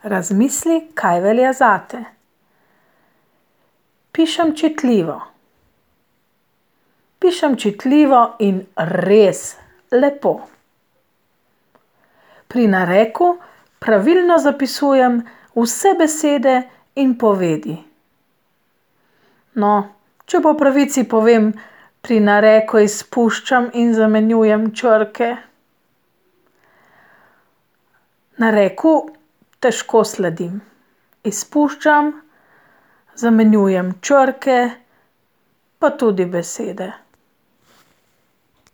Razmisli, kaj velja zate. Pišem čitljivo. Pišem čitljivo in res lepo. Pri nareku pravilno zapisujem vse besede in povedi. No, če po pravici povem, pri nareku izpuščam in zamenjujem črke. Nareku težko sledim. Izpuščam, zamenjujem črke, pa tudi besede.